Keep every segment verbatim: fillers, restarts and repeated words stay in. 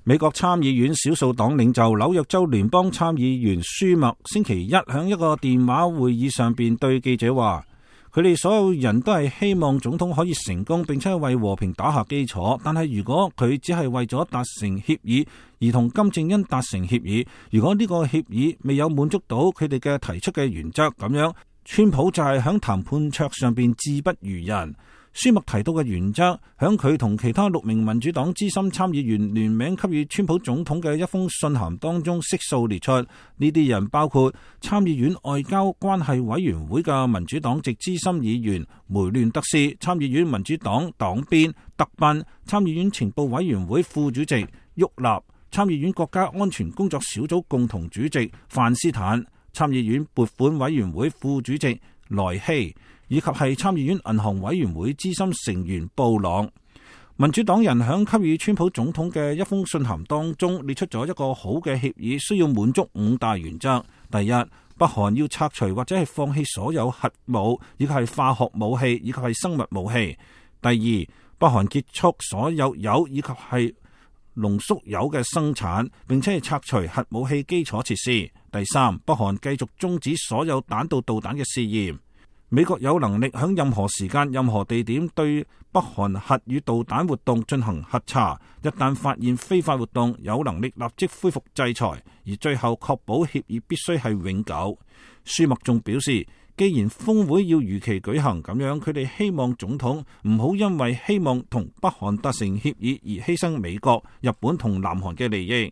美國參議院少數黨領袖紐約州聯邦參議員舒默星期一喺一個電話會議上邊對記者話，佢哋所有人都係希望總統可以成功，並且為和平打下基礎。但係如果佢只係為咗達成協議而同金正恩達成協議，如果呢個協議未有滿足到佢哋嘅提出嘅原則，咁樣川普就係喺談判桌上邊志不如人。舒默提到嘅原則，響佢同其他六名民主黨資深參議員聯名給予川普總統嘅一封信函當中悉數列出。呢啲人包括參議院外交關係委員會嘅民主黨籍資深議員梅亂德斯、參議院民主黨黨鞭特賓、參議院情報委員會副主席沃納、參議院國家安全工作小組共同主席范斯坦、參議院撥款委員會副主席萊希，以及係參議院銀行委員會資深成員布朗。民主黨人響給予川普總統嘅一封信函當中列出咗一個好嘅協議，需要滿足五大原則。第一，北韓要拆除或者係放棄所有核武，以及係化學武器，以及係生物武器。第二，北韓結束所有鈾以及係濃縮鈾嘅生產，並且係拆除核武器基礎設施。第三，北韓繼續終止所有彈道導彈嘅試驗。美國有能力喺任何時間、任何地點對北韓核與導彈活動進行核查，一旦發現非法活動，有能力立即恢復制裁，而最後確保協議必須係永久。舒默仲表示，既然峰會要如期舉行，咁樣佢哋希望總統唔好因為希望同北韓達成協議而犧牲美國、日本同南韓嘅利益。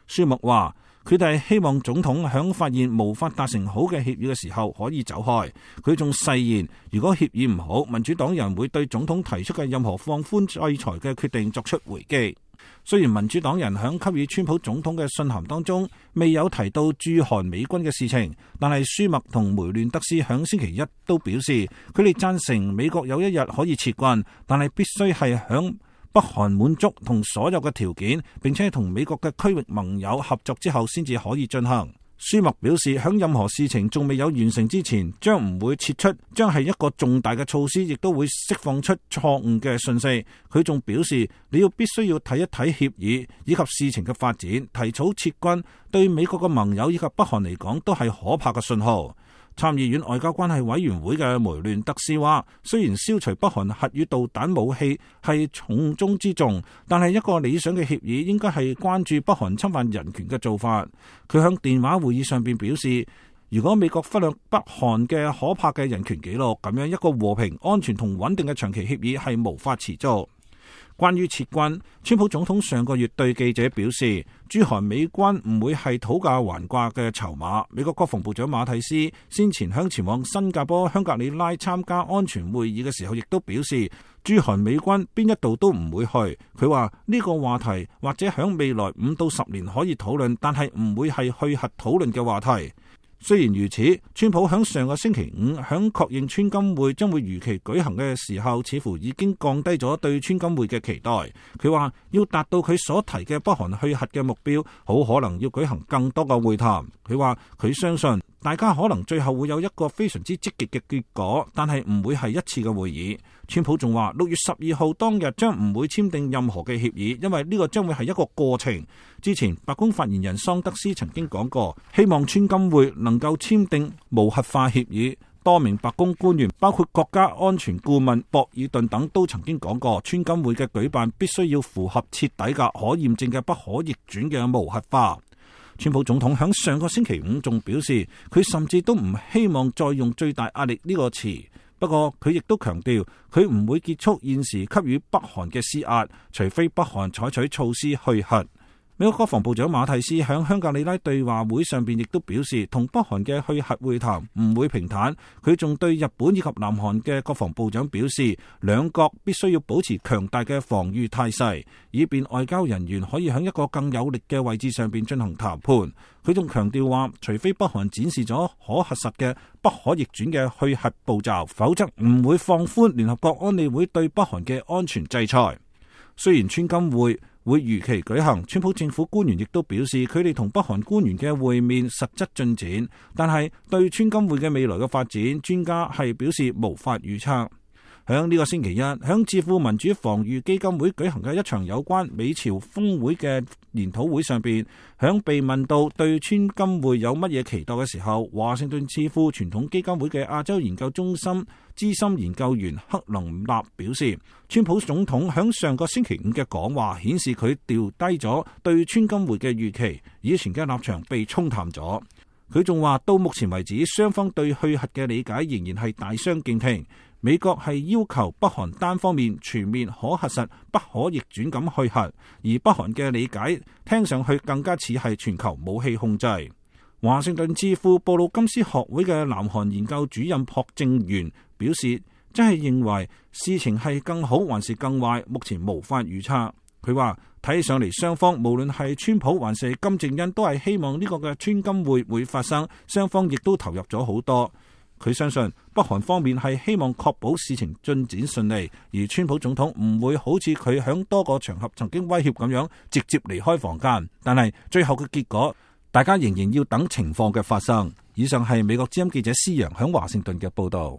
舒默話，佢哋希望總統響發現無法達成好嘅協議嘅時候可以走開。佢仲誓言，如果協議唔好，民主黨人會對總統提出嘅任何放寬制裁嘅決定作出回擊。雖然民主黨人響給予川普總統嘅信函當中未有提到駐韓美軍嘅事情，但係舒默同梅亂德斯響星期一都表示，佢哋贊成美國有一日可以撤軍，但係必須係響北韓滿足同所有嘅條件，並且同美國嘅區域盟友合作之後先至可以進行。舒默表示，響任何事情仲未有完成之前，將唔會撤出，將係一個重大嘅措施，亦都會釋放出錯誤嘅信息。佢仲表示，你要必須要睇一睇協議以及事情嘅發展，提早撤軍對美國嘅盟友以及北韓嚟講都係可怕嘅信號。參議院外交關係委員會嘅梅亂德斯話，雖然消除北韓核與導彈武器係重中之重，但係一個理想嘅協議應該係關注北韓侵犯人權嘅做法。佢響電話會議上邊表示，如果美國忽略北韓嘅可怕嘅人權紀錄，咁樣一個和平、安全同穩定嘅長期協議係無法持續。關於撤軍，川普總統上個月對記者表示，駐韓美軍唔會係討價還價嘅籌碼。美國國防部長馬蒂斯先前向前往新加坡香格里拉參加安全會議嘅時候，亦都表示駐韓美軍邊一度都唔會去。佢話呢個話題或者響未來五到十年可以討論，但係唔會係去核討論嘅話題。雖然如此，川普響上個星期五響確認川金會將會如期舉行嘅時候，似乎已經降低咗對川金會嘅期待。佢話要達到佢所提嘅北韓去核嘅目標，好可能要舉行更多嘅會談。佢話佢相信大家可能最後會有一個非常之積極嘅結果，但係唔會係一次嘅會議。川普仲話六月十二號當日將唔會簽訂任何嘅協議，因為呢個將會係一個過程。之前白宮發言人桑德斯曾經講過，希望川金會能夠簽訂無核化協議。多名白宮官員，包括國家安全顧問博爾頓等，都曾經講過，川金會嘅舉辦必須要符合徹底嘅可驗證嘅不可逆轉嘅無核化。川普總統響上個星期五仲表示，佢甚至都唔希望再用最大壓力呢個詞。不過佢亦都強調，佢唔會結束現時給予北韓嘅施壓，除非北韓採取措施去核。美國國防部長馬蒂斯喺香格里拉對話會上邊亦都表示，同北韓嘅去核會談唔會平坦。佢仲對日本以及南韓嘅國防部長表示，兩國必須要保持強大嘅防禦態勢，以便外交人員可以喺一個更有力嘅位置上邊進行談判。佢仲強調話，除非北韓展示咗可核實嘅不可逆轉嘅去核步驟，否則唔會放寬聯合國安理會對北韓嘅安全制裁。雖然川金會會如期舉行，川普政府官員亦都表示，佢哋同北韓官員嘅會面實質進展，但係對川金會嘅未來嘅發展，專家係表示無法預測。響呢個星期一，響智庫民主防禦基金會舉行嘅一場有關美朝峰會嘅研討會上邊，響被問到對川金會有乜嘢期待嘅時候，華盛頓智庫傳統基金會嘅亞洲研究中心資深研究員克林納表示，川普總統響上個星期五嘅講話顯示佢調低咗對川金會嘅預期，以前嘅立場被沖淡咗。佢仲話到目前為止，雙方對去核嘅理解仍然係大相徑庭。美國係要求北韓單方面全面可核實、不可逆轉咁去核，而北韓嘅理解聽上去更加似係全球武器控制。華盛頓智庫布魯金斯學會嘅南韓研究主任朴正元表示，真係認為事情係更好還是更壞，目前無法預測。佢話睇上嚟，雙方無論係川普還是金正恩都係希望呢個嘅川金會會發生，雙方亦都投入咗好多。佢相信北韓方面係希望確保事情進展順利，而川普總統唔會好似佢響多個場合曾經威脅咁樣直接離開房間。但係最後嘅結果，大家仍然要等情況嘅發生。以上係美國之音記者施洋響華盛頓嘅報道。